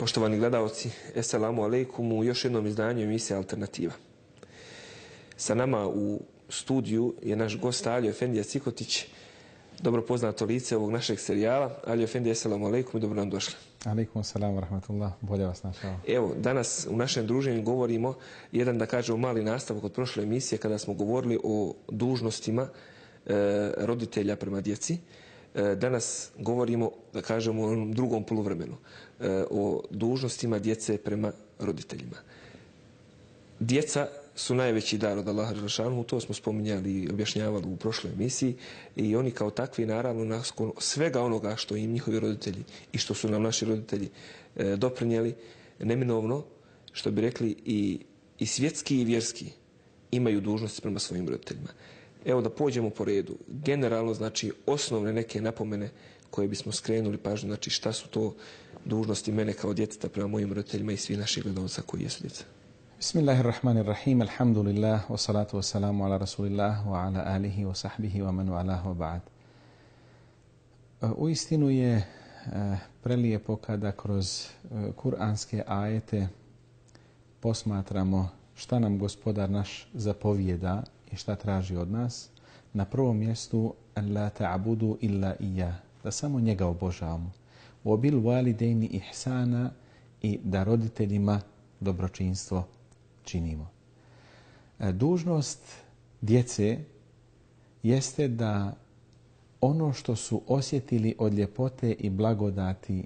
Poštovani gledalci, Esselamu alejkum u još jednom izdanju emisije Alternativa. Sa nama u studiju je naš gost Alio Efendija Cikotić, dobro poznato lice ovog našeg serijala. Alio Efendija, Esselamu alejkum i dobro nam došli. Alejkum selam wa rahmatullah, bolje vas našao. Evo, danas u našem druženju govorimo jedan, da kažemo, mali nastavak od prošle emisije kada smo govorili o dužnostima roditelja prema djeci. Danas govorimo, da kažemo, o onom drugom poluvremenu, o dužnostima djece prema roditeljima. Djeca su najveći dar od Allaha dželešanu, to smo spominjali i objašnjavali u prošloj emisiji, i oni kao takvi, naravno, nakon svega onoga što im njihovi roditelji i što su nam naši roditelji doprinijeli, neminovno, što bi rekli, i svjetski i vjerski imaju dužnosti prema svojim roditeljima. Evo da pođemo po redu. Generalno, znači, osnovne neke napomene koje bismo skrenuli pažnju, znači šta su to dužnosti mene kao djeteta prema mojim roditeljima i svi naših gledalca koji jesu djeca. Bismillahirrahmanirrahim, alhamdulillah, wa salatu wa salamu ala rasulillah, wa ala alihi wa sahbihi wa man wa'alahu wa ba'd. Uistinu je prelijepo kada kroz kuranske ajete posmatramo šta nam Gospodar naš zapovijeda i šta traži od nas. Na prvom mjestu la ta'budu illa iyyah, da samo njega obožavamo. Wa bil walidayni ihsana, i da roditeljima dobročinstvo činimo. Dužnost djece jeste da ono što su osjetili od ljepote i blagodati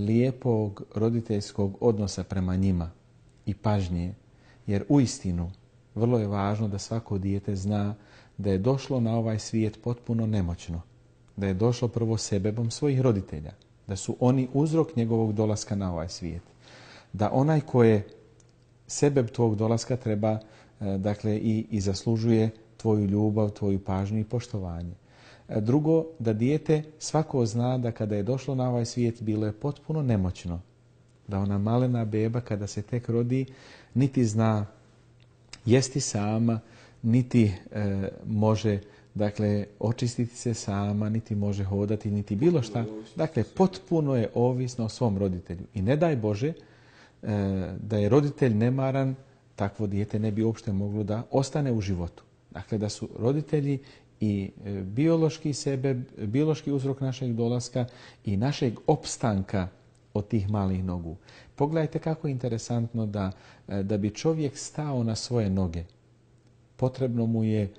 lijepog roditeljskog odnosa prema njima i pažnje, jer uistinu vrlo je važno da svako dijete zna da je došlo na ovaj svijet potpuno nemoćno, da je došlo prvo sebebom svojih roditelja, da su oni uzrok njegovog dolaska na ovaj svijet, da onaj ko je sebeb tvog dolaska treba, dakle, i zaslužuje tvoju ljubav, tvoju pažnju i poštovanje. Drugo, da dijete svako zna da kada je došlo na ovaj svijet bilo je potpuno nemoćno, da ona malena beba kada se tek rodi niti zna jesti sama, niti može, dakle, očistiti se sama, niti može hodati, niti bilo šta. Dakle, potpuno je ovisno o svom roditelju. I ne daj Bože da je roditelj nemaran, takvo dijete ne bi uopšte moglo da ostane u životu. Dakle, da su roditelji i biološki sebe, biološki uzrok našeg dolaska i našeg opstanka od tih malih nogu. Pogledajte kako je interesantno da bi čovjek stao na svoje noge. Potrebno mu je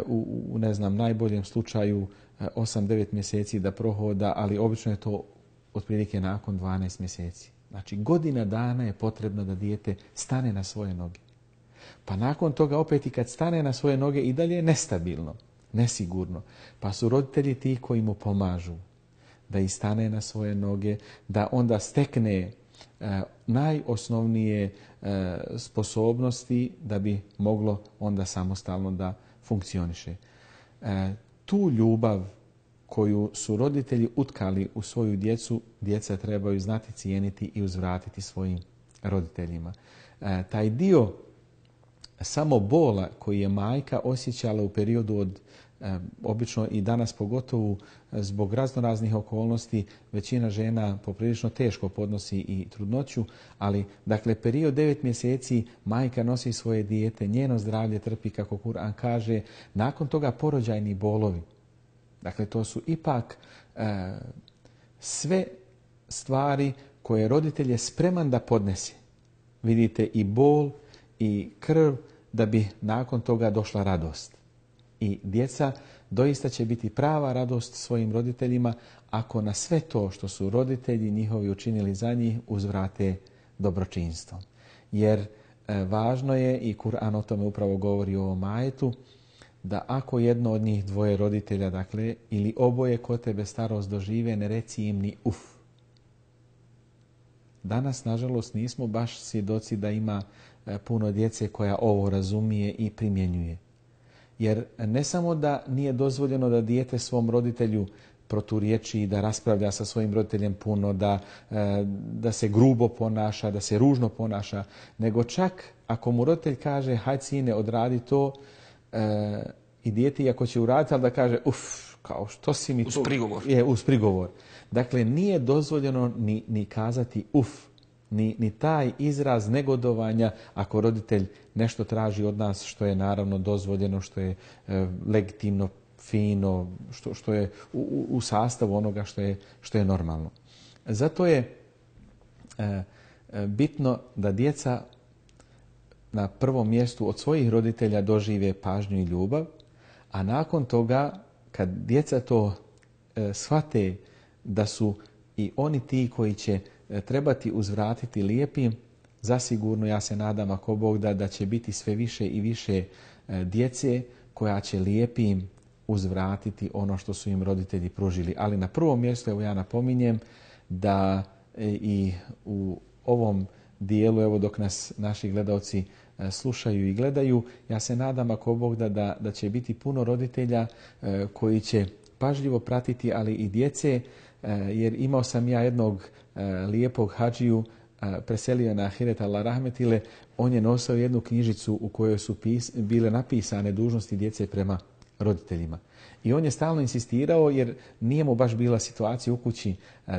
u ne znam, najboljem slučaju 8-9 mjeseci da prohoda, ali obično je to otprilike nakon 12 mjeseci. Znači, godina dana je potrebno da dijete stane na svoje noge. Pa nakon toga opet i kad stane na svoje noge i dalje je nestabilno, nesigurno. Pa su roditelji ti koji mu pomažu da i stane na svoje noge, da onda stekne najosnovnije sposobnosti da bi moglo onda samostalno da funkcioniše. Tu ljubav koju su roditelji utkali u svoju djecu, djeca trebaju znati cijeniti i uzvratiti svojim roditeljima. Taj dio samo bola koji je majka osjećala u periodu od obično i danas pogotovo zbog raznoraznih okolnosti, većina žena poprilično teško podnosi i trudnoću, ali dakle period 9 mjeseci majka nosi svoje dijete, njeno zdravlje trpi, kako Kur'an kaže, nakon toga porođajni bolovi. Dakle, to su ipak sve stvari koje roditelj je spreman da podnese. Vidite, i bol i krv, da bi nakon toga došla radost. I djeca doista će biti prava radost svojim roditeljima ako na sve to što su roditelji njihovi učinili za njih uzvrate dobročinstvom. Jer važno je, i Kur'an o tome upravo govori u ovom ajetu, da ako jedno od njih dvoje roditelja, dakle, ili oboje kod tebe starost dožive, ne reci im ni uf. Danas, nažalost, nismo baš svjedoci da ima puno djece koja ovo razumije i primjenjuje. Jer ne samo da nije dozvoljeno da dijete svom roditelju proturječi, da raspravlja sa svojim roditeljem puno, da se grubo ponaša, da se ružno ponaša, nego čak ako mu roditelj kaže hajde sine, odradi to, i dijete, iako će uraditi, ali da kaže uf, kao što si mi uz prigovor. Uz prigovor. Dakle, nije dozvoljeno ni kazati uf, ni taj izraz negodovanja ako roditelj nešto traži od nas što je naravno dozvoljeno, što je legitimno, fino, što je u sastavu onoga što je normalno. Zato je bitno da djeca na prvom mjestu od svojih roditelja dožive pažnju i ljubav, a nakon toga kad djeca to shvate da su i oni ti koji će trebati uzvratiti lijepim, zasigurno ja se nadam ako Bog da će biti sve više i više djece koja će lijepim uzvratiti ono što su im roditelji pružili. Ali na prvom mjestu, evo ja napominjem da i u ovom dijelu, evo dok nas naši gledalci slušaju i gledaju, ja se nadam ako Bog da će biti puno roditelja koji će pažljivo pratiti, ali i djece, jer imao sam ja jednog lijepog hadžiju, preselio na ahiret Allah rahmetile, on je nosio jednu knjižicu u kojoj su bile napisane dužnosti djece prema roditeljima. I on je stalno insistirao, jer nije mu baš bila situacija u kući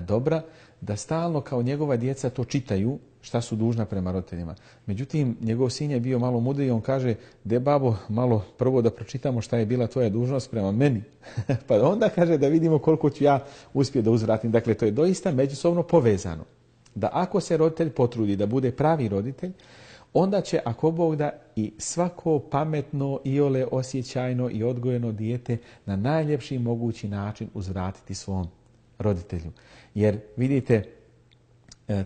dobra, da stalno kao njegova djeca to čitaju šta su dužna prema roditeljima. Međutim, njegov sin je bio malo mudriji, on kaže, de babo, malo prvo da pročitamo šta je bila tvoja dužnost prema meni. Pa onda kaže da vidimo koliko ću ja uspjeti da uzvratim. Dakle, to je doista međusobno povezano. Da ako se roditelj potrudi da bude pravi roditelj, onda će, ako Bog da, i svako pametno, iole osjećajno i odgojeno dijete na najljepši mogući način uzvratiti svom roditelju. Jer vidite,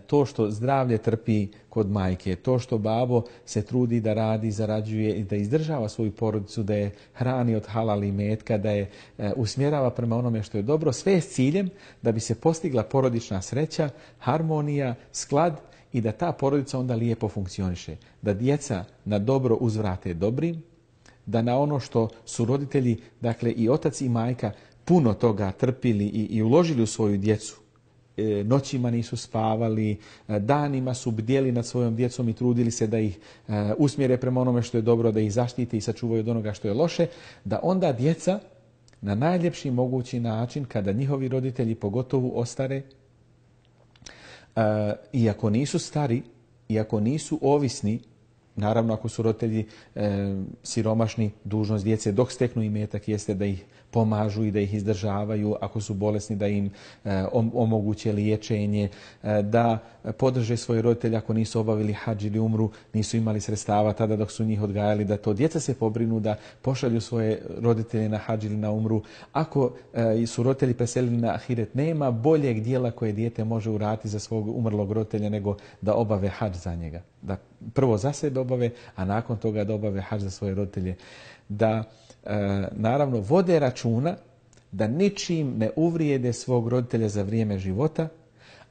to što zdravlje trpi kod majke, to što babo se trudi da radi, zarađuje i da izdržava svoju porodicu, da je hrani od halal imetka, da je usmjerava prema onome što je dobro, sve s ciljem da bi se postigla porodična sreća, harmonija, sklad i da ta porodica onda lijepo funkcioniše. Da djeca na dobro uzvrate dobrim, da na ono što su roditelji, dakle i otac i majka, puno toga trpili i uložili u svoju djecu, noćima nisu spavali, danima su bdjeli nad svojom djecom i trudili se da ih usmjere prema onome što je dobro, da ih zaštite i sačuvaju od onoga što je loše, da onda djeca na najljepši mogući način, kada njihovi roditelji pogotovo ostare, iako nisu stari, iako nisu ovisni, naravno ako su roditelji siromašni, dužnost djece dok steknu imetak jeste da ih pomažu i da ih izdržavaju, ako su bolesni da im omoguće liječenje, da podrže svoje roditelje ako nisu obavili hadž ili umru, nisu imali sredstava tada dok su njih odgajali, da to djeca se pobrinu da pošalju svoje roditelje na hadž ili na umru. Ako su roditelji preselili na ahiret, nema boljeg dijela koje dijete može uraditi za svog umrlog roditelja nego da obave hadž za njega. Da prvo za sebe obave, a nakon toga da obave hadž za svoje roditelje. Da naravno vode računa da ničim ne uvrijede svog roditelja za vrijeme života,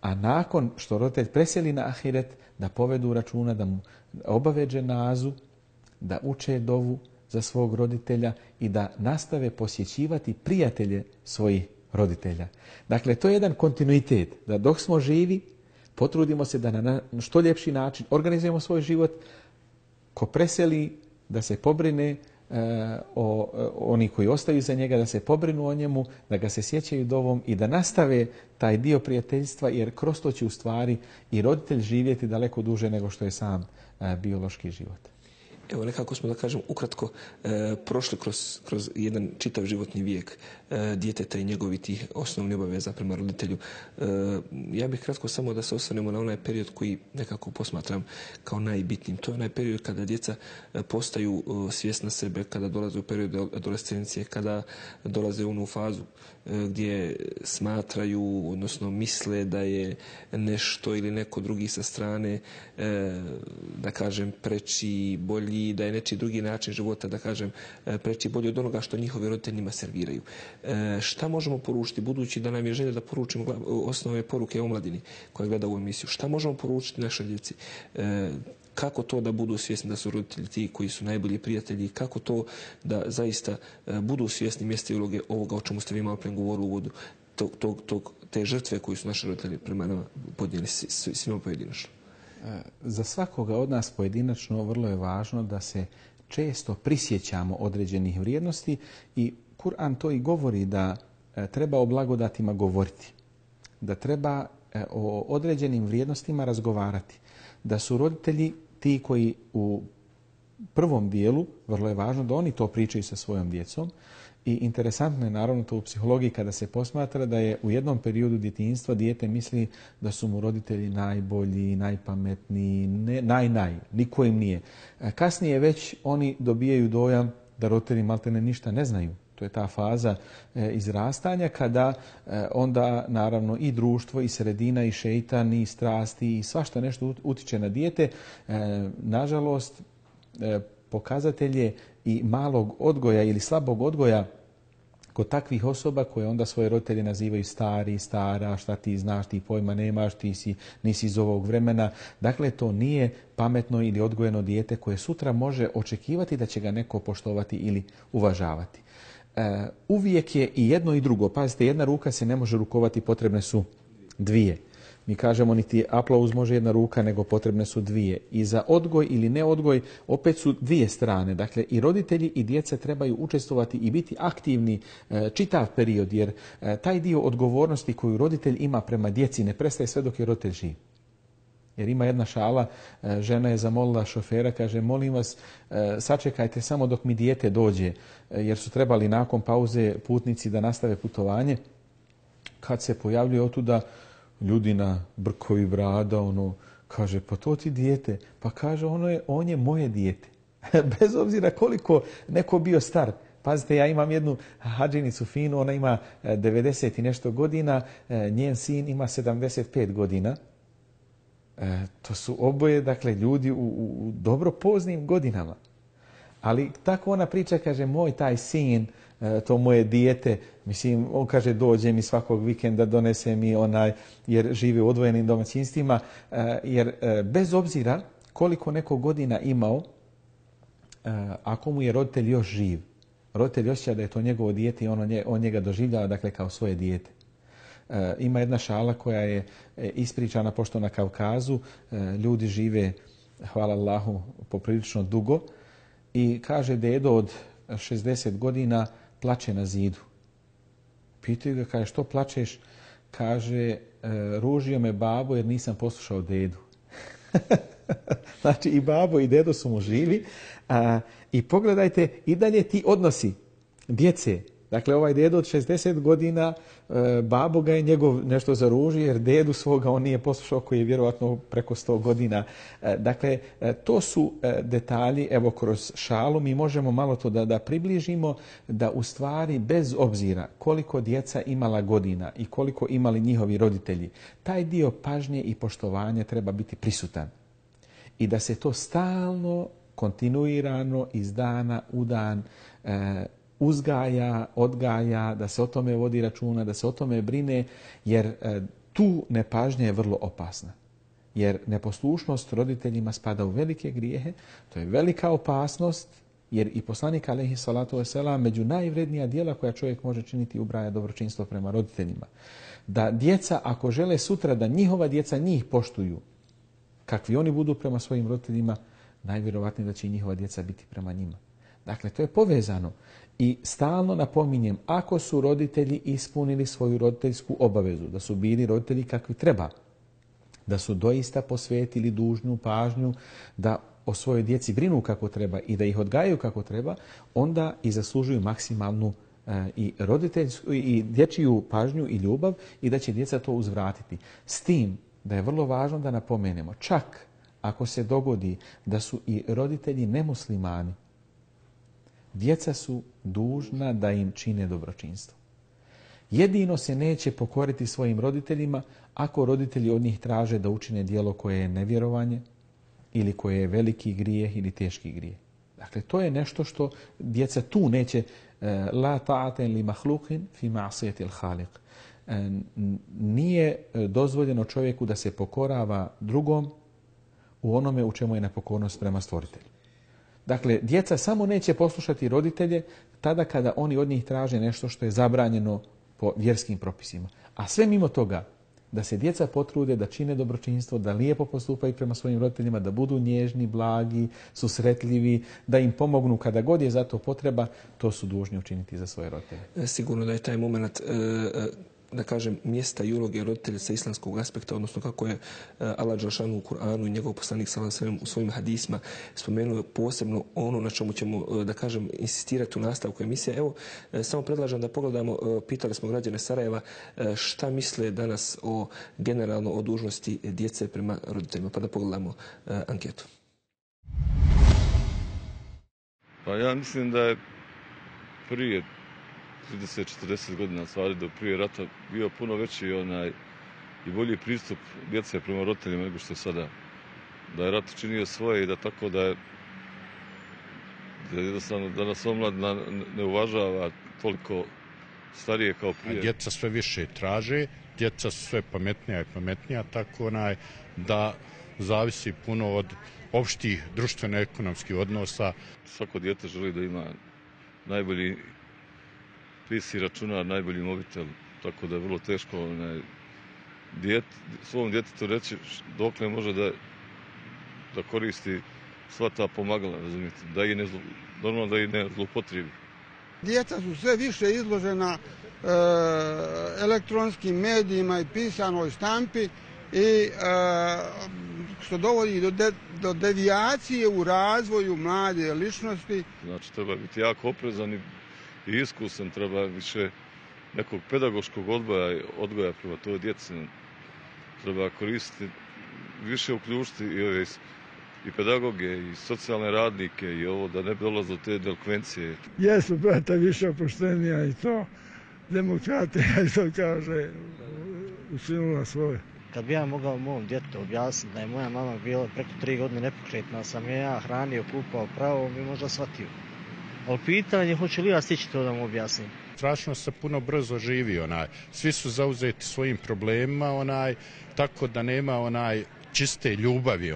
a nakon što roditelj preseli na ahiret da povedu računa, da mu obave dženazu, da uče dovu za svog roditelja i da nastave posjećivati prijatelje svojih roditelja. Dakle, to je jedan kontinuitet, da dok smo živi potrudimo se da na što ljepši način organizujemo svoj život. Ko preseli, da se pobrine oni koji ostaju za njega, da se pobrinu o njemu, da ga se sjećaju dovom i da nastave taj dio prijateljstva, jer kroz to će u stvari i roditelj živjeti daleko duže nego što je sam biološki život. Evo, nekako smo, da kažem, ukratko prošli kroz jedan čitav životni vijek djeteta i njegovih tih osnovnih obaveza prema roditelju. Ja bih kratko samo da se osvrnemo na onaj period koji nekako posmatram kao najbitnijim. To je onaj period kada djeca postaju svjesna sebe, kada dolaze u period adolescencije, kada dolaze u onu fazu gdje smatraju, odnosno misle da je nešto ili neko drugi sa strane, da kažem, preči, bolji, da je nečiji drugi način života, da kažem, preči bolji od onoga što njihovi roditelji njima serviraju. Šta možemo poručiti, budući da nam je želja da poručimo osnovne poruke omladini koja gleda ovu emisiju? Šta možemo poručiti našoj djeci? Kako to da budu svjesni da su roditelji ti koji su najbolji prijatelji? Kako to da zaista budu svjesni mjesta i uloge ovoga o čemu ste vi malo prije govorili u uvodu, te žrtve koje su naši roditelji prema nama podnijeli svima pojedinačno? Za svakoga od nas pojedinačno vrlo je važno da se često prisjećamo određenih vrijednosti i Kur'an to i govori da treba o blagodatima govoriti, da treba o određenim vrijednostima razgovarati, da su roditelji ti koji u prvom dijelu, vrlo je važno da oni to pričaju sa svojom djecom. I interesantno je naravno to u psihologiji kada se posmatra da je u jednom periodu djetinjstva dijete misli da su mu roditelji najbolji, najpametniji, niko im nije. Kasnije već oni dobijaju dojam da roditelji maltene ništa ne znaju. To je ta faza izrastanja kada onda naravno i društvo i sredina i šeitan i strasti i svašta nešto utiče na dijete. Nažalost, pokazatelje i malog odgoja ili slabog odgoja kod takvih osoba koje onda svoje roditelje nazivaju stari, stara, šta ti znaš, ti pojma nemaš, nisi iz ovog vremena. Dakle, to nije pametno ili odgojeno dijete koje sutra može očekivati da će ga neko poštovati ili uvažavati. Uvijek je i jedno i drugo. Pazite, jedna ruka se ne može rukovati, potrebne su dvije. Mi kažemo niti aplauz može jedna ruka, nego potrebne su dvije. I za odgoj ili neodgoj opet su dvije strane. Dakle, i roditelji i djeca trebaju učestvovati i biti aktivni čitav period, jer taj dio odgovornosti koju roditelj ima prema djeci ne prestaje sve dok je roditelj živ. Jer ima jedna šala, žena je zamolila šofera, kaže, molim vas, sačekajte samo dok mi dijete dođe, jer su trebali nakon pauze putnici da nastave putovanje. Kad se pojavljuje otuda ljudi na brkovi brada, kaže, pa to ti dijete. Pa kaže, on je moje dijete. Bez obzira koliko neko bio star. Pazite, ja imam jednu hadžinicu finu, ona ima 90 i nešto godina, njen sin ima 75 godina. To su oboje, dakle, ljudi u dobro poznim godinama. Ali tako ona priča, kaže, moj taj sin, to moje dijete, mislim, on kaže, dođe mi svakog vikenda, donese mi jer živi u odvojenim domaćinstvima, jer bez obzira koliko neko godina imao, ako mu je roditelj još živ, roditelj osjeća da je to njegovo dijete i on njega doživljava, dakle, kao svoje dijete. Ima jedna šala koja je ispričana pošto na Kavkazu ljudi žive, hvala Allahu, poprilično dugo i kaže dedo od 60 godina plače na zidu. Pitaju ga, kaže, što plačeš? Kaže, ružio me babo jer nisam poslušao dedu. Znači i babo i dedo su mu živi. I pogledajte i dalje ti odnosi djece. Dakle, ovaj dedo od 60 godina, babo ga je njegov nešto zaružio jer dedu svoga on nije poslušao koji je vjerovatno preko 100 godina. Dakle, to su detalji, evo kroz šalu mi možemo malo to da približimo, da u stvari bez obzira koliko djeca imala godina i koliko imali njihovi roditelji, taj dio pažnje i poštovanja treba biti prisutan. I da se to stalno, kontinuirano, iz dana u dan uzgaja, odgaja, da se o tome vodi računa, da se o tome brine, jer tu nepažnja je vrlo opasna. Jer neposlušnost roditeljima spada u velike grijehe, to je velika opasnost, jer i poslanik alejhi salatu vesselam među najvrednija djela koja čovjek može činiti ubraja dobročinstvo prema roditeljima. Da djeca, ako žele sutra da njihova djeca njih poštuju, kakvi oni budu prema svojim roditeljima, najvjerovatnije da će i njihova djeca biti prema njima. Dakle, to je povezano. I stalno napominjem, ako su roditelji ispunili svoju roditeljsku obavezu, da su bili roditelji kakvi treba, da su doista posvetili dužnu pažnju, da o svojoj djeci brinu kako treba i da ih odgajaju kako treba, onda i zaslužuju maksimalnu i roditeljsku i dječju pažnju i ljubav i da će djeca to uzvratiti. S tim da je vrlo važno da napomenemo, čak ako se dogodi da su i roditelji nemuslimani, djeca su dužna da im čine dobročinstvo. Jedino se neće pokoriti svojim roditeljima ako roditelji od njih traže da učine djelo koje je nevjerovanje ili koje je veliki grijeh ili teški grijeh. Dakle, to je nešto što djeca tu neće la ta'ata li mahluqin fi ma'siyati al-khaliq. Nije dozvoljeno čovjeku da se pokorava drugom u onome u čemu je nepokornost prema stvoritelju. Dakle, djeca samo neće poslušati roditelje tada kada oni od njih traže nešto što je zabranjeno po vjerskim propisima. A sve mimo toga, da se djeca potrude, da čine dobročinstvo, da lijepo postupaju prema svojim roditeljima, da budu nježni, blagi, susretljivi, da im pomognu kada god je za to potreba, to su dužni učiniti za svoje roditelje. Sigurno da je taj moment, da kažem, mjesta i uloge roditelja sa islamskog aspekta, odnosno kako je Allah dželešanu u Kur'anu i njegov poslanik sallallahu alejhi ve sellem u svojim hadisma spomenuo posebno ono na čemu ćemo, da kažem, insistirati u nastavku emisije. Evo, samo predlažem da pogledamo, pitali smo građane Sarajeva šta misle danas generalno o dužnosti djece prema roditeljima, pa da pogledamo anketu. Pa ja mislim da je prije 30-40 godina stvari do prije rata bio puno veći i bolji pristup djece prema roditeljima nego što je sada. Da je rat činio svoje i da tako da je jednostavno da nas omladina ne uvažava toliko starije kao prije. Djeca sve više traže, djeca su sve pametnija i pametnija, tako da zavisi puno od opštih društveno-ekonomskih odnosa. Svako dijete želi da ima najbolji PC računar, najbolji mobitel, tako da je vrlo teško svom djetetu reći dokle može da koristi sva ta pomagala, razumijete, normalno da ih ne zloupotrebi. Djeca su sve više izložena elektronskim medijima i pisanoj štampi i što dovodi do devijacije u razvoju mlade ličnosti. Znači, treba biti jako oprezan i iskusan, treba više nekog pedagoškog odgoja prema toj djeci. Treba koristiti, više uključiti i pedagoge, i socijalne radnike, i ovo da ne bi dolazilo do te delikvencije. Jesu, brata, više opuštenija i to. Demokratija i to kaže učinila svoje. Kad bi ja mogao mom djetetu objasniti da je moja mama bila preko 3 godine nepokretna, sam ja hranio, kupao, pravo, bi možda shvatio. Ali pitanje, hoće li ja stići to da mu objasnim? Strašno se puno brzo živi, svi su zauzeti svojim problemima, tako da nema čiste ljubavi,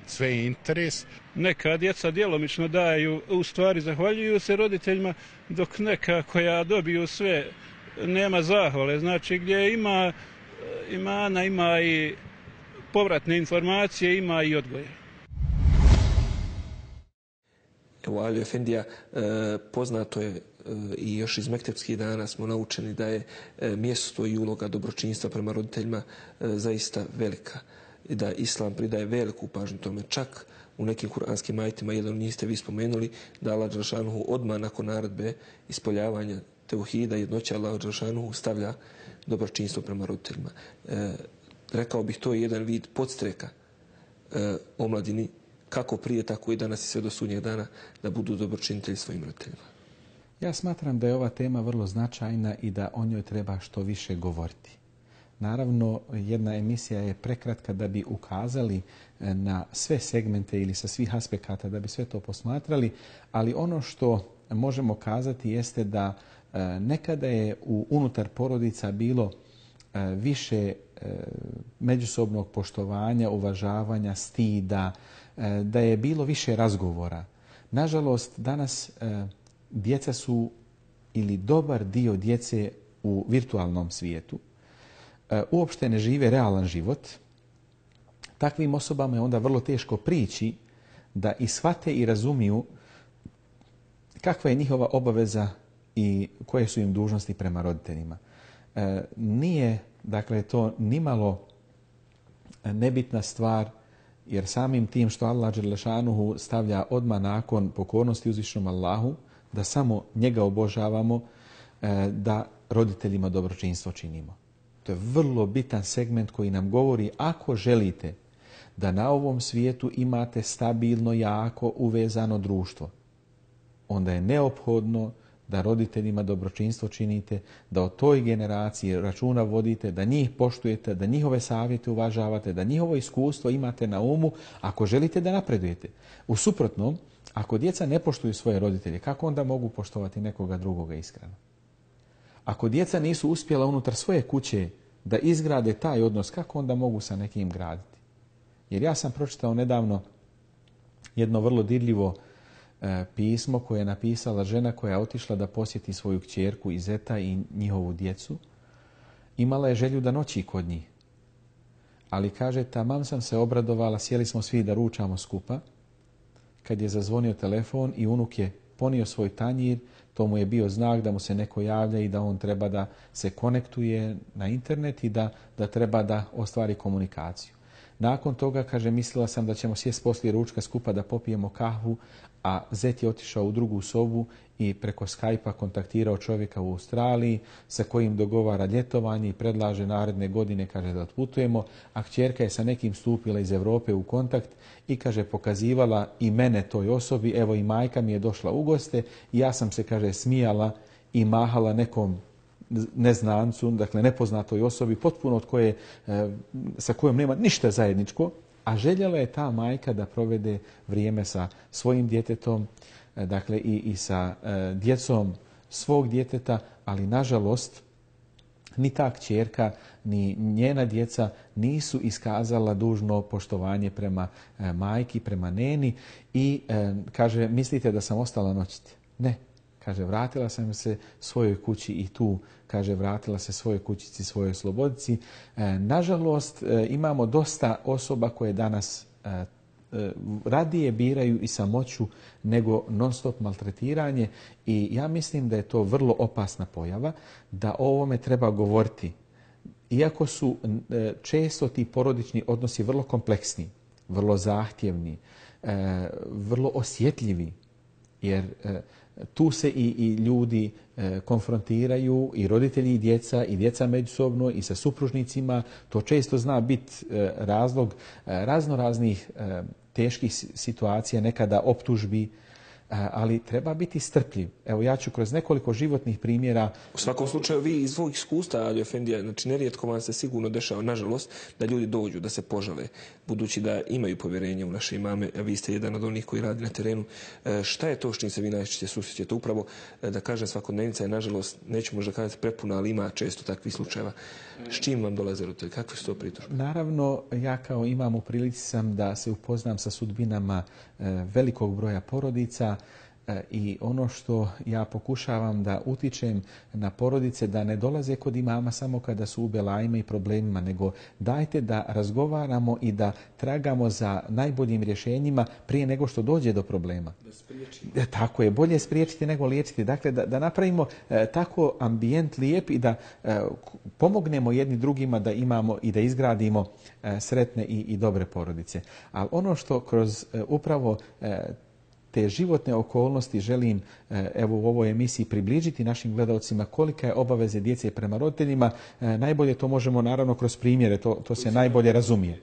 sve je interes. Neka djeca djelomično daju, u stvari zahvaljuju se roditeljima, dok neka koja dobiju sve nema zahvale. Znači gdje ima imana, ima i povratne informacije, ima i odgoje. Evo, Ali Efendija, poznato je i još iz mektepskih dana smo naučeni da je mjesto i uloga dobročinstva prema roditeljima zaista velika. I da Islam pridaje veliku pažnju tome. Čak u nekim kuranskim ajetima, jedan od njih ste vi spomenuli, da Allah dželešanu odmah nakon naredbe ispoljavanja teuhida, jednoća Allah dželešanu stavlja dobročinstvo prema roditeljima. Rekao bih, to je jedan vid podstreka omladini, kako prije, tako i danas i sve do sudnjeg dana, da budu dobročinitelji svojim roditeljima. Ja smatram da je ova tema vrlo značajna i da o njoj treba što više govoriti. Naravno, jedna emisija je prekratka da bi ukazali na sve segmente ili sa svih aspekata, da bi sve to posmatrali, ali ono što možemo kazati jeste da nekada je unutar porodica bilo više međusobnog poštovanja, uvažavanja, stida, da je bilo više razgovora. Nažalost, danas djeca su ili dobar dio djece u virtualnom svijetu, uopšte ne žive realan život. Takvim osobama je onda vrlo teško prići da i shvate i razumiju kakva je njihova obaveza i koje su im dužnosti prema roditeljima. Nije, dakle, to nimalo nebitna stvar, jer samim tim što Allah dželešanuhu stavlja odmah nakon pokornosti uzvišenom Allahu, da samo njega obožavamo, da roditeljima dobročinstvo činimo. To je vrlo bitan segment koji nam govori, ako želite da na ovom svijetu imate stabilno, jako uvezano društvo, onda je neophodno da roditeljima dobročinstvo činite, da o toj generaciji računa vodite, da njih poštujete, da njihove savjete uvažavate, da njihovo iskustvo imate na umu ako želite da napredujete. U suprotnom, ako djeca ne poštuju svoje roditelje, kako onda mogu poštovati nekoga drugoga iskreno? Ako djeca nisu uspjela unutar svoje kuće da izgrade taj odnos, kako onda mogu sa nekim graditi? Jer ja sam pročitao nedavno jedno vrlo dirljivo pismo koje je napisala žena koja je otišla da posjeti svoju kćerku i zeta i njihovu djecu. Imala je želju da noći kod njih. Ali kaže, tamam sam se obradovala, sjeli smo svi da ručamo skupa, kad je zazvonio telefon i unuk je ponio svoj tanjir, to mu je bio znak da mu se neko javlja i da on treba da se konektuje na internet i da treba da ostvari komunikaciju. Nakon toga, kaže, mislila sam da ćemo sjest poslije ručka skupa da popijemo kahvu, a zet je otišao u drugu sobu i preko Skype-a kontaktirao čovjeka u Australiji sa kojim dogovara ljetovanje i predlaže naredne godine, kaže, da otputujemo, a kćerka je sa nekim stupila iz Europe u kontakt i, kaže, pokazivala i mene toj osobi, evo i majka mi je došla u goste i ja sam se, kaže, smijala i mahala nekom neznancu, dakle nepoznatoj osobi, potpuno od koje, sa kojom nema ništa zajedničko, a željela je ta majka da provede vrijeme sa svojim djetetom, dakle i sa djecom svog djeteta, ali nažalost ni ta kćerka, ni njena djeca nisu iskazala dužno poštovanje prema majki, prema neni i kaže, mislite da sam ostala noćiti? Ne. Kaže, vratila sam se svojoj kući i tu, kaže, vratila se svojoj kućici, svojoj slobodici. Nažalost, imamo dosta osoba koje danas radije biraju i samoću nego non-stop maltretiranje i ja mislim da je to vrlo opasna pojava, da o ovome treba govoriti. Iako su često ti porodični odnosi vrlo kompleksni, vrlo zahtjevni, vrlo osjetljivi, jer tu se i ljudi konfrontiraju, i roditelji i djeca međusobno i sa supružnicima. To često zna biti razlog raznoraznih teških situacija, nekada optužbi, ali treba biti strpljiv. Evo, ja ću kroz nekoliko životnih primjera... U svakom slučaju, vi iz svog iskustva, Ali Efendija, znači nerijetko vam se sigurno dešava, nažalost, da ljudi dođu, da se požale, budući da imaju povjerenje u naše imame, a vi ste jedan od onih koji radi na terenu. Šta je to s čim se vi najčešće susrećete? Upravo, da kažem, svakodnevnica je, nažalost, neću možda kazati prepuna, ali ima često takvih slučajeva. S čim vam dolaze roditelji? Kakve su to pritužbe? Naravno, ja kao imam u prilici sam da se upoznam sa sudbinama velikog broja porodica i ono što ja pokušavam da utičem na porodice da ne dolaze kod imama samo kada su u belajima i problemima, nego dajte da razgovaramo i da tragamo za najboljim rješenjima prije nego što dođe do problema. Da spriječimo. Tako je, bolje spriječiti nego liječiti. Dakle, da napravimo tako ambijent lijep i da pomognemo jedni drugima da imamo i da izgradimo sretne i dobre porodice. Ali ono što kroz upravo te životne okolnosti želim evo u ovoj emisiji približiti našim gledalcima kolika je obaveze djece prema roditeljima. Najbolje to možemo naravno kroz primjere, to se najbolje razumije.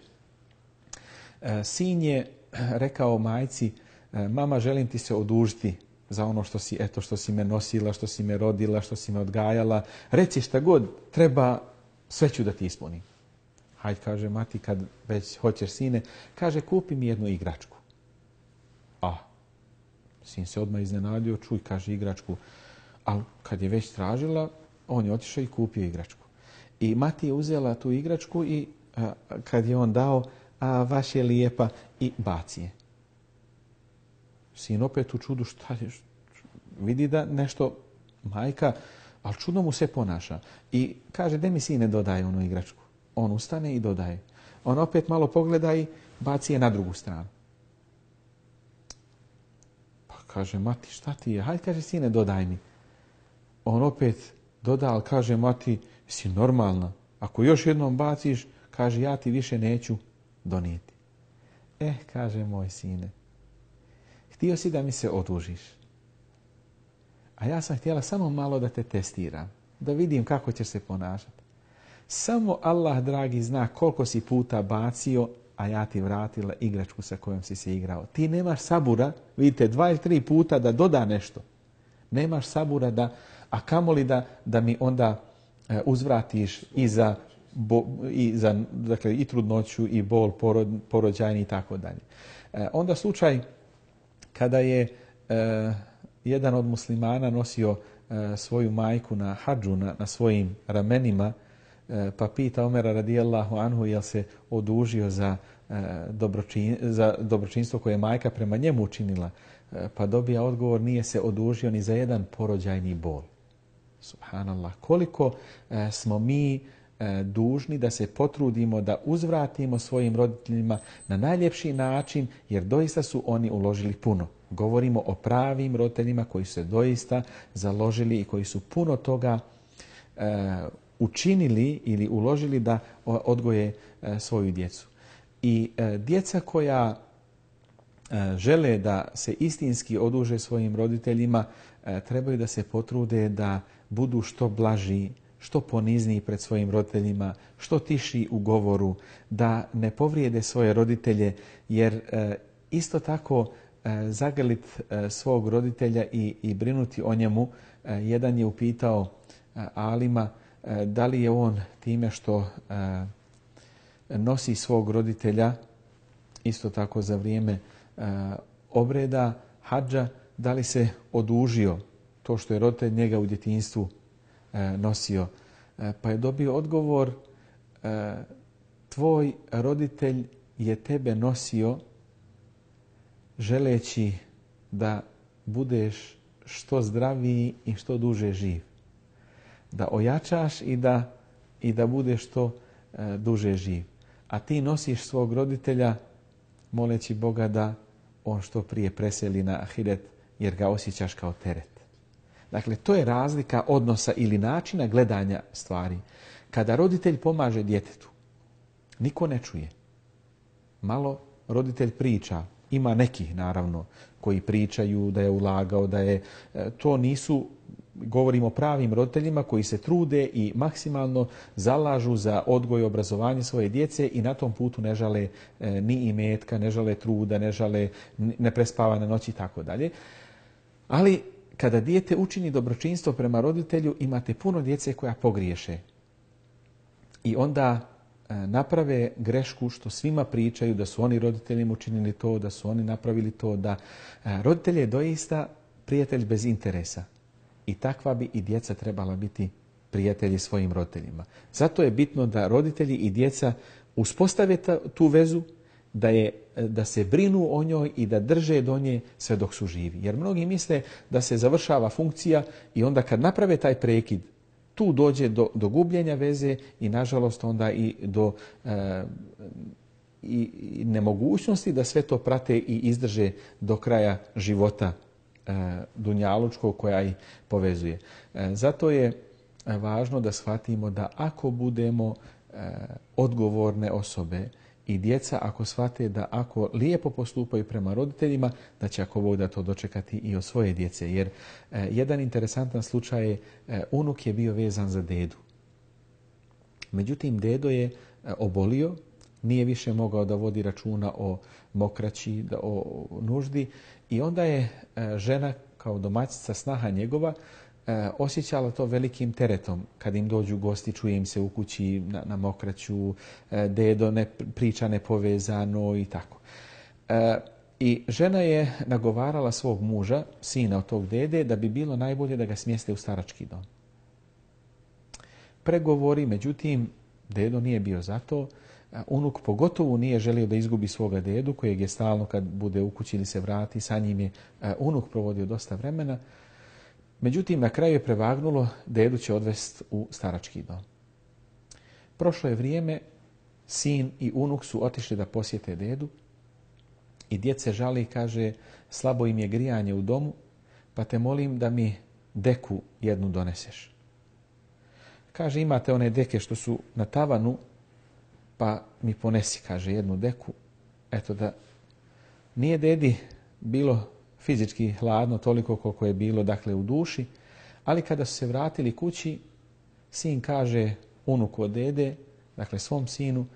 Sin je rekao majci, mama, želim ti se odužiti za ono što si me nosila, što si me rodila, što si me odgajala. Reci šta god treba, sve ću da ti ispunim. Hajde, kaže mati, kad već hoćeš, sine, kaže, kupi mi jednu igračku. Sin se odmah iznenadio, čuj, kaže, igračku. Ali kad je već tražila, on je otišao i kupio igračku. I mati je uzela tu igračku i kad je on dao, vaš je lijepa, i baci je. Sin opet u čudu, šta je, vidi da nešto majka, ali čudno mu se ponaša. I kaže, de mi sine dodaje onu igračku. On ustane i dodaje. On opet malo pogleda i baci je na drugu stranu. Kaže, mati, šta ti je? Hajde, kaže, sine, dodaj mi. On opet doda, ali kaže, mati, si normalna. Ako još jednom baciš, kaže, ja ti više neću donijeti. Kaže, moj sine, htio si da mi se odužiš. A ja sam htjela samo malo da te testiram, da vidim kako ćeš se ponašati. Samo Allah, dragi, zna koliko si puta bacio, a ja ti vratila igračku sa kojom si se igrao. Ti nemaš sabura, vidite, 2 ili 3 puta da doda nešto. Nemaš sabura a kamoli da mi onda uzvratiš dakle, i trudnoću, i bol porođajni i tako dalje. Onda slučaj kada je jedan od muslimana nosio svoju majku na hadžu, na svojim ramenima, pa pita Omera radijallahu anhu jel se odužio za dobročinstvo koje je majka prema njemu učinila. Pa dobija odgovor, nije se odužio ni za jedan porođajni bol. Subhanallah. Koliko smo mi dužni da se potrudimo da uzvratimo svojim roditeljima na najljepši način, jer doista su oni uložili puno. Govorimo o pravim roditeljima koji su se doista založili i koji su puno toga učinili ili uložili da odgoje svoju djecu. I djeca koja žele da se istinski oduže svojim roditeljima, trebaju da se potrude da budu što blaži, što ponizniji pred svojim roditeljima, što tiši u govoru, da ne povrijede svoje roditelje, jer isto tako zagrlit svog roditelja i brinuti o njemu. Jedan je upitao alima da li je on time što nosi svog roditelja, isto tako za vrijeme obreda hadža, da li se odužio to što je roditelj njega u djetinjstvu nosio. Pa je dobio odgovor, tvoj roditelj je tebe nosio želeći da budeš što zdraviji i što duže živ. Da ojačaš i da budeš što duže živ. A ti nosiš svog roditelja moleći Boga da on što prije preseli na ahiret, jer ga osjećaš kao teret. Dakle, to je razlika odnosa ili načina gledanja stvari. Kada roditelj pomaže djetetu, niko ne čuje. Malo roditelj priča. Ima nekih, naravno, koji pričaju da je ulagao, da je... To nisu, govorimo o pravim roditeljima koji se trude i maksimalno zalažu za odgoj i obrazovanje svoje djece i na tom putu ne žale ni imetka, ne žale truda, ne prespava na noći i tako dalje. Ali kada dijete učini dobročinstvo prema roditelju, imate puno djece koja pogriješe. I onda naprave grešku što svima pričaju da su oni roditeljima učinili to, da su oni napravili to, da roditelj je doista prijatelj bez interesa. I takva bi i djeca trebala biti prijatelji svojim roditeljima. Zato je bitno da roditelji i djeca uspostave tu vezu, da se brinu o njoj i da drže do nje sve dok su živi. Jer mnogi misle da se završava funkcija i onda kad naprave taj prekid, tu dođe do gubljenja veze i nažalost onda i do i nemogućnosti da sve to prate i izdrže do kraja života dunjalučkog koja ih povezuje. Zato je važno da shvatimo da ako budemo odgovorne osobe i djeca ako shvate da ako lijepo postupaju prema roditeljima, da će ako Bog da to dočekati i od svoje djece. Jer jedan interesantan slučaj je, unuk je bio vezan za dedu. Međutim, dedo je obolio, nije više mogao da vodi računa o mokraći, o nuždi i onda je žena kao domaćica, snaha njegova, osjećala to velikim teretom. Kad im dođu gosti, čuje im se u kući na mokraću, dedo ne priča nepovezano i tako. I žena je nagovarala svog muža, sina od tog dede, da bi bilo najbolje da ga smjeste u starački dom. Pregovori, međutim, dedo nije bio za to. Unuk pogotovo nije želio da izgubi svoga dedu, kojeg je stalno kad bude u kući ili se vrati, sa njim je unuk provodio dosta vremena. Međutim, na kraju je prevagnulo, dedu će odvesti u starački dom. Prošlo je vrijeme, sin i unuk su otišli da posjete dedu i djed se žali i kaže, slabo im je grijanje u domu, pa te molim da mi deku jednu doneseš. Kaže, imate one deke što su na tavanu, pa mi ponesi, kaže, jednu deku. Eto da nije dedi bilo fizički hladno toliko koliko je bilo, dakle, u duši, ali kada su se vratili kući, sin kaže unuku od dede, dakle svom sinu,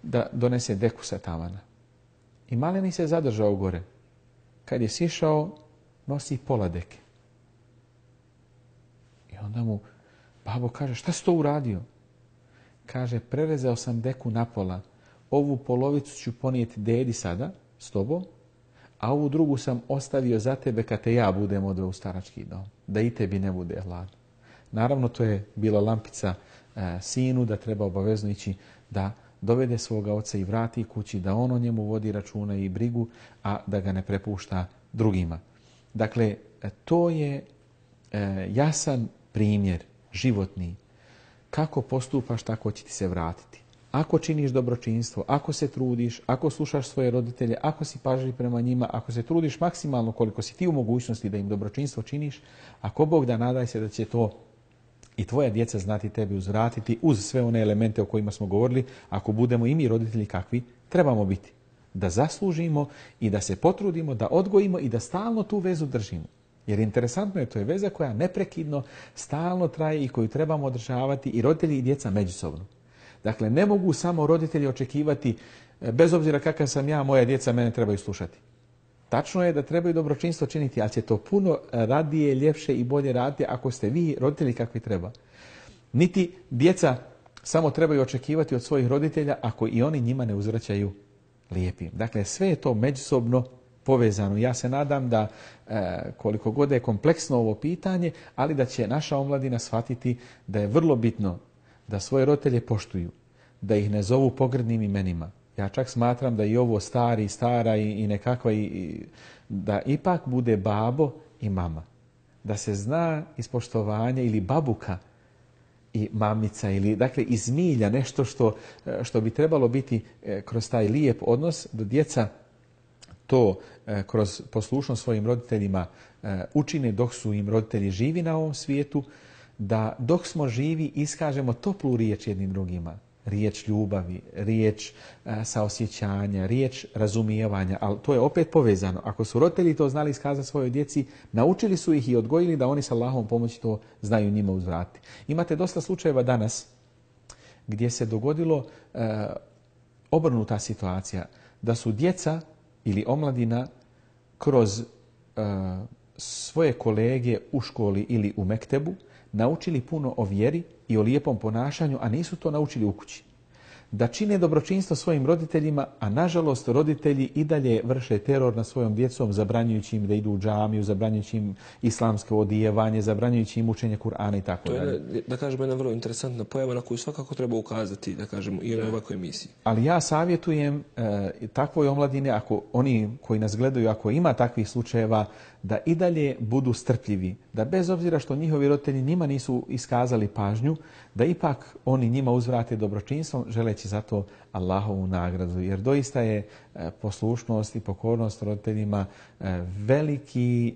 da donese deku sa tavana. I maleni se zadržao gore. Kad je sišao, nosi pola deke. I onda mu babo kaže, šta si to uradio? Kaže, prerezao sam deku na pola. Ovu polovicu ću ponijeti dedi sada s tobom, a ovu drugu sam ostavio za tebe kad te ja budem odveo u starački dom, da i tebi ne bude hladno. Naravno, to je bila lampica sinu da treba obavezno ići da dovede svoga oca i vrati kući, da on o njemu vodi računa i brigu, a da ga ne prepušta drugima. Dakle, to je jasan primjer životni kako postupaš, tako će ti se vratiti. Ako činiš dobročinstvo, ako se trudiš, ako slušaš svoje roditelje, ako si pažljiv prema njima, ako se trudiš maksimalno koliko si ti u mogućnosti da im dobročinstvo činiš, ako Bog da, nadaj se da će to i tvoja djeca znati tebi uzvratiti uz sve one elemente o kojima smo govorili, ako budemo i mi roditelji kakvi trebamo biti. Da zaslužimo i da se potrudimo, da odgojimo i da stalno tu vezu držimo. Jer interesantno je, to je veza koja neprekidno stalno traje i koju trebamo održavati i roditelji i djeca međusobno. Dakle, ne mogu samo roditelji očekivati, bez obzira kakav sam ja, moja djeca mene trebaju slušati. Tačno je da trebaju dobročinstvo činiti, ali će to puno radije, ljepše i bolje raditi ako ste vi roditelji kakvi treba. Niti djeca samo trebaju očekivati od svojih roditelja ako i oni njima ne uzvraćaju lijepim. Dakle, sve je to međusobno povezano. Ja se nadam da koliko god je kompleksno ovo pitanje, ali da će naša omladina shvatiti da je vrlo bitno da svoje roditelje poštuju, da ih ne zovu pogrdnim imenima. Ja čak smatram da i ovo stari, stara i nekakva, da ipak bude babo i mama. Da se zna ispoštovanje ili babuka i mamica, ili dakle iz milja, nešto što bi trebalo biti kroz taj lijep odnos, da djeca to kroz poslušnost svojim roditeljima učine dok su im roditelji živi na ovom svijetu, da dok smo živi iskažemo toplu riječ jednim drugima. Riječ ljubavi, riječ saosjećanja, riječ razumijevanja, ali to je opet povezano. Ako su roditelji to znali iskazati svojoj djeci, naučili su ih i odgojili da oni sa Allahovom pomoći to znaju njima uzvratiti. Imate dosta slučajeva danas gdje se dogodilo obrnuta situacija, da su djeca ili omladina kroz svoje kolege u školi ili u mektebu naučili puno o vjeri i o lijepom ponašanju, a nisu to naučili u kući. Da čine dobročinstvo svojim roditeljima, a nažalost roditelji i dalje vrše teror nad svojom djecom, zabranjujući im da idu u džamiju, zabranjujući im islamsko odijevanje, zabranjujući im učenje Kur'ana i tako dalje. To je, da kažemo, jedna vrlo interesantna pojava na koju svakako treba ukazati, da kažemo, i u ovakvoj emisiji. Ali ja savjetujem takvoj omladine, ako oni koji nas gledaju, ako ima takvih slučajeva, da i dalje budu strpljivi, da bez obzira što njihovi roditelji njima nisu iskazali pažnju, da ipak oni njima uzvrate dobročinstvom, želeći zato Allahovu nagradu. Jer doista je poslušnost i pokornost roditeljima veliki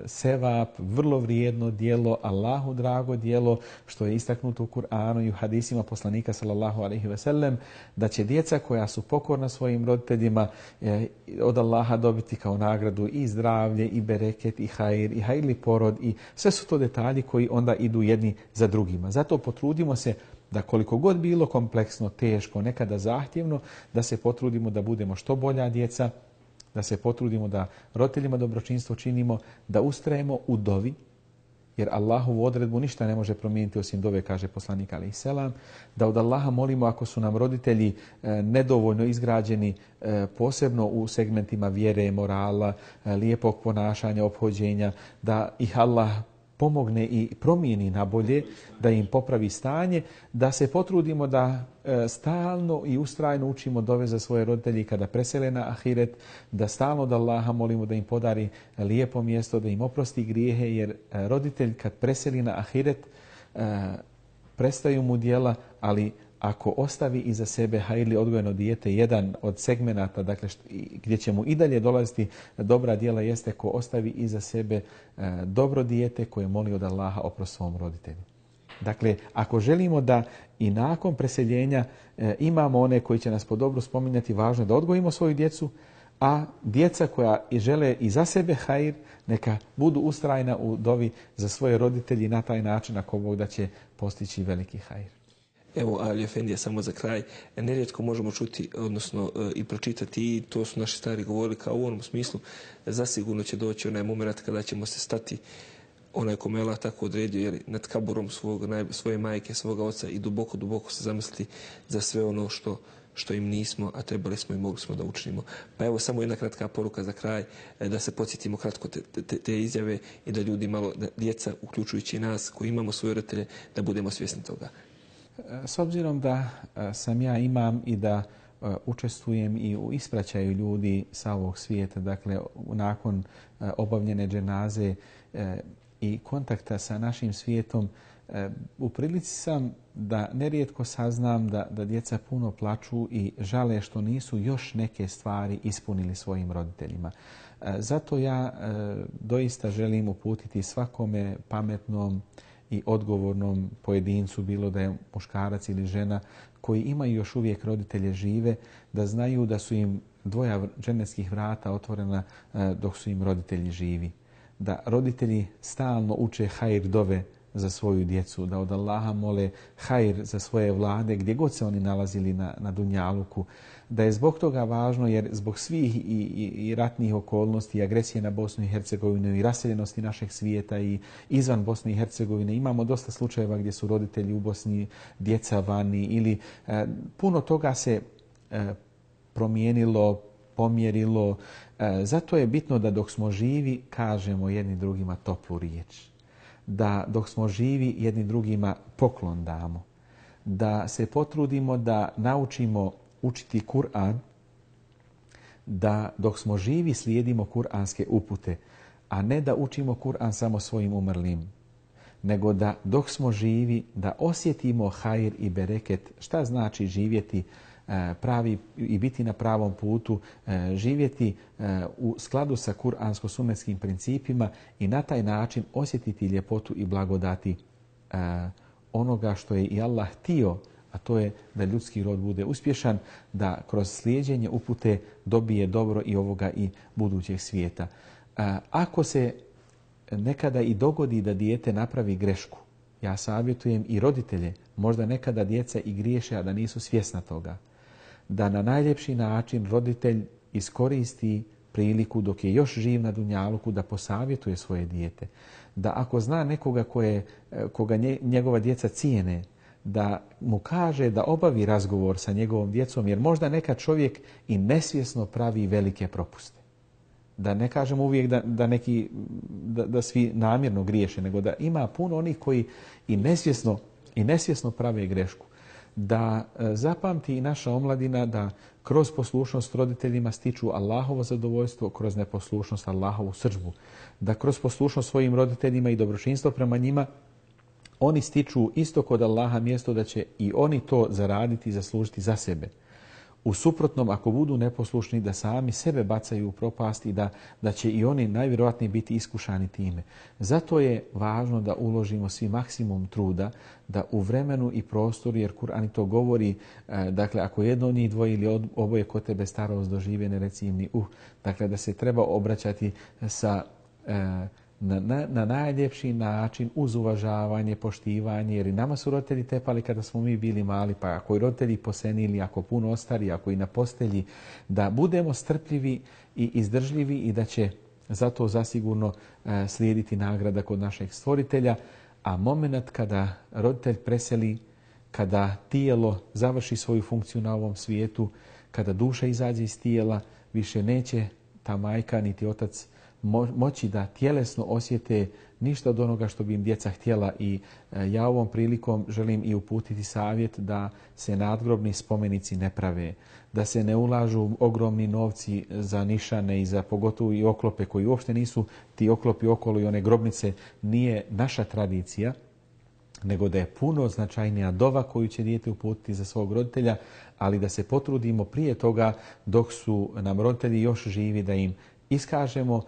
sevap, vrlo vrijedno djelo, Allahu drago djelo, što je istaknuto u Kur'anu i u hadisima poslanika sallallahu alejhi ve sellem, da će djeca koja su pokorna svojim roditeljima od Allaha dobiti kao nagradu i zdravlje, i bereket, i hajirli porod, i sve su to detalji koji onda idu jedni za drugima. Zato potrudimo se da koliko god bilo kompleksno, teško, nekada zahtjevno, da se potrudimo da budemo što bolja djeca, da se potrudimo da roditeljima dobročinstvo činimo, da ustrajemo u dovi, jer Allahovu odredbu ništa ne može promijeniti osim dove, kaže poslanik alejhi selam, da od Allaha molimo ako su nam roditelji nedovoljno izgrađeni, posebno u segmentima vjere, morala, lijepog ponašanja, ophođenja, da ih Allah pomogne i promijeni na bolje, da im popravi stanje, da se potrudimo da stalno i ustrajno učimo dove za svoje roditelji kada presele na ahiret, da stalno od Allaha molimo da im podari lijepo mjesto, da im oprosti grijehe, jer roditelj kad preseli na ahiret prestaju mu djela, ali ako ostavi iza sebe hajirli odgojeno dijete, jedan od segmenata, dakle, gdje će mu i dalje dolaziti dobra djela, jeste ko ostavi iza sebe dobro dijete koje moli od Allaha oprost svom roditelju. Dakle, ako želimo da i nakon preseljenja imamo one koji će nas po dobru spominjati, važno je da odgojimo svoju djecu, a djeca koja žele i za sebe hajir, neka budu ustrajna u dovi za svoje roditelji, na taj način ako Bog da će postići veliki hajir. Evo, Ali Efendija, samo za kraj, nerijetko možemo čuti, odnosno i pročitati, i to su naši stari govorili kao u onom smislu, zasigurno će doći onaj moment kada ćemo se stati, onaj kome Allah tako odredio, jer nad kaburom svoje majke, svoga oca, i duboko, duboko se zamisliti za sve ono što im nismo, a trebali smo i mogli smo da učinimo. Pa evo, samo jedna kratka poruka za kraj, da se podsjetimo kratko te izjave i da ljudi malo, da djeca, uključujući nas koji imamo svoje roditelje, da budemo svjesni toga. S obzirom da sam ja imam i da učestvujem i u ispraćaju ljudi sa ovog svijeta, dakle nakon obavljene dženaze i kontakta sa našim svijetom, U prilici sam da nerijetko saznam da djeca puno plaču i žale što nisu još neke stvari ispunili svojim roditeljima. Zato ja doista želim uputiti svakome pametnom i odgovornom pojedincu, bilo da je muškarac ili žena, koji imaju još uvijek roditelje žive, da znaju da su im dvoja dženetskih vrata otvorena dok su im roditelji živi. Da roditelji stalno uče hajr dove za svoju djecu, da od Allaha mole hajr za svoje vlade gdje god se oni nalazili na dunjaluku, da je zbog toga važno jer zbog svih i ratnih okolnosti i agresije na Bosnu i Hercegovinu i raseljenosti našeg svijeta i izvan Bosne i Hercegovine imamo dosta slučajeva gdje su roditelji u Bosni, djeca vani ili puno toga se promijenilo, pomjerilo. Zato je bitno da dok smo živi kažemo jedni drugima toplu riječ. Da dok smo živi jedni drugima poklon damo. Da se potrudimo da naučimo učiti Kur'an, da dok smo živi slijedimo kuranske upute, a ne da učimo Kur'an samo svojim umrlim, nego da dok smo živi da osjetimo hajr i bereket, šta znači živjeti pravi i biti na pravom putu, živjeti u skladu sa kuransko-sunnetskim principima i na taj način osjetiti ljepotu i blagodati onoga što je i Allah htio, a to je da ljudski rod bude uspješan, da kroz slijeđenje upute dobije dobro i ovoga i budućeg svijeta. Ako se nekada i dogodi da dijete napravi grešku, ja savjetujem i roditelje, možda nekada djeca i griješe, a da nisu svjesna toga, da na najljepši način roditelj iskoristi priliku dok je još živ na dunjaluku da posavjetuje svoje dijete. Da ako zna nekoga koga njegova djeca cijene, da mu kaže da obavi razgovor sa njegovom djecom, jer možda nekad čovjek i nesvjesno pravi velike propuste. Da ne kažemo uvijek da svi namjerno griješe, nego da ima puno onih koji i nesvjesno prave grešku. Da zapamti i naša omladina da kroz poslušnost roditeljima stiču Allahovo zadovoljstvo, kroz neposlušnost Allahovu srdžbu. Da kroz poslušnost svojim roditeljima i dobročinstvo prema njima oni stiču isto kod Allaha mjesto da će i oni to zaraditi i zaslužiti za sebe. U suprotnom, ako budu neposlušni, da sami sebe bacaju u propast i da će i oni najvjerojatnije biti iskušani time. Zato je važno da uložimo svi maksimum truda da u vremenu i prostoru, jer Kur'an to govori, dakle, ako jedno od njih dvoje ili oboje kod tebe starost dožive, ne reci im ni dakle, da se treba obraćati na najljepši način uz uvažavanje, poštivanje, jer i nama su roditelji tepali kada smo mi bili mali, pa ako i roditelji posenili, ako puno ostari, ako i na postelji, da budemo strpljivi i izdržljivi i da će zato zasigurno slijediti nagrada kod našeg stvoritelja, a moment kada roditelj preseli, kada tijelo završi svoju funkciju na ovom svijetu, kada duša izađe iz tijela, više neće ta majka niti otac moći da tjelesno osjete ništa od onoga što bi im djeca htjela. I ja ovom prilikom želim i uputiti savjet da se nadgrobni spomenici ne prave, da se ne ulažu ogromni novci za nišane i za pogotovo i oklope koji uopšte nisu ti oklopi okolo i one grobnice, nije naša tradicija, nego da je puno značajnija dova koju će dijete uputiti za svog roditelja, ali da se potrudimo prije toga dok su nam roditelji još živi da im iskažemo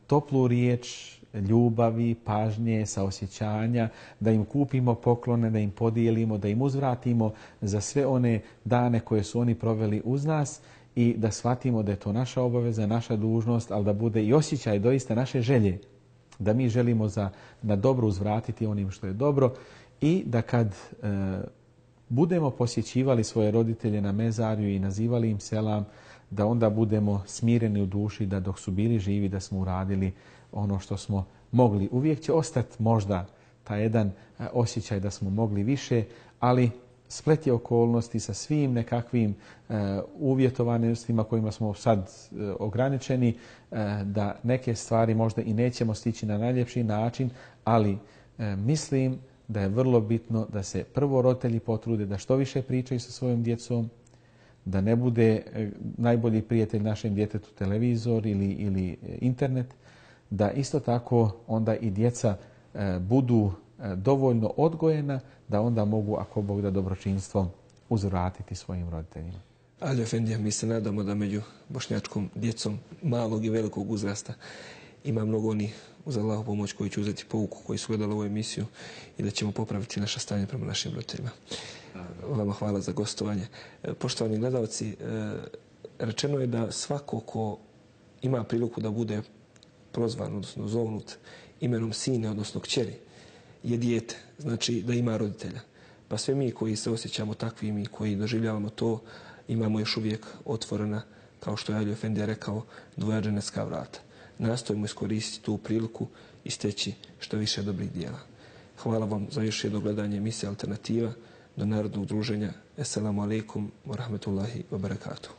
toplu riječ ljubavi, pažnje, saosjećanja, da im kupimo poklone, da im podijelimo, da im uzvratimo za sve one dane koje su oni proveli uz nas i da shvatimo da je to naša obaveza, naša dužnost, ali da bude i osjećaj doista naše želje, da mi želimo na dobro uzvratiti onim što je dobro i da kad budemo posjećivali svoje roditelje na mezarju i nazivali im selam, da onda budemo smireni u duši da dok su bili živi da smo uradili ono što smo mogli. Uvijek će ostati možda taj jedan osjećaj da smo mogli više, ali splet je okolnosti sa svim nekakvim uvjetovanostima kojima smo sad ograničeni, da neke stvari možda i nećemo stići na najljepši način, ali mislim da je vrlo bitno da se prvo roditelji potrude da što više pričaju sa svojom djecom, da ne bude najbolji prijatelj našem djetetu televizor ili internet, da isto tako onda i djeca budu dovoljno odgojena da onda mogu, ako Bog da, dobročinstvom uzvratiti svojim roditeljima. Ali Efendija, mi se nadamo da među bošnjačkom djecom malog i velikog uzrasta ima mnogo onih, uz Allahu pomoć, koji će uzeti pouku, koji su gledali ovu emisiju i da ćemo popraviti naše stanje prema našim roditeljima. Vama hvala za gostovanje. Poštovani gledalci, rečeno je da svako ko ima priliku da bude prozvan, odnosno zovnut imenom sine, odnosno kćeri, je dijete, znači da ima roditelja. Pa sve mi koji se osjećamo takvim i koji doživljavamo to, imamo još uvijek otvorena, kao što je Ali Efendija rekao, dvoja dženecka vrata. Nastojimo iskoristiti tu priliku i steći što više dobrih dijela. Hvala vam za još jedno gledanje emisije Alternativa do Narodnog druženja. Assalamu alaikum wa rahmetullahi wa barakatuh.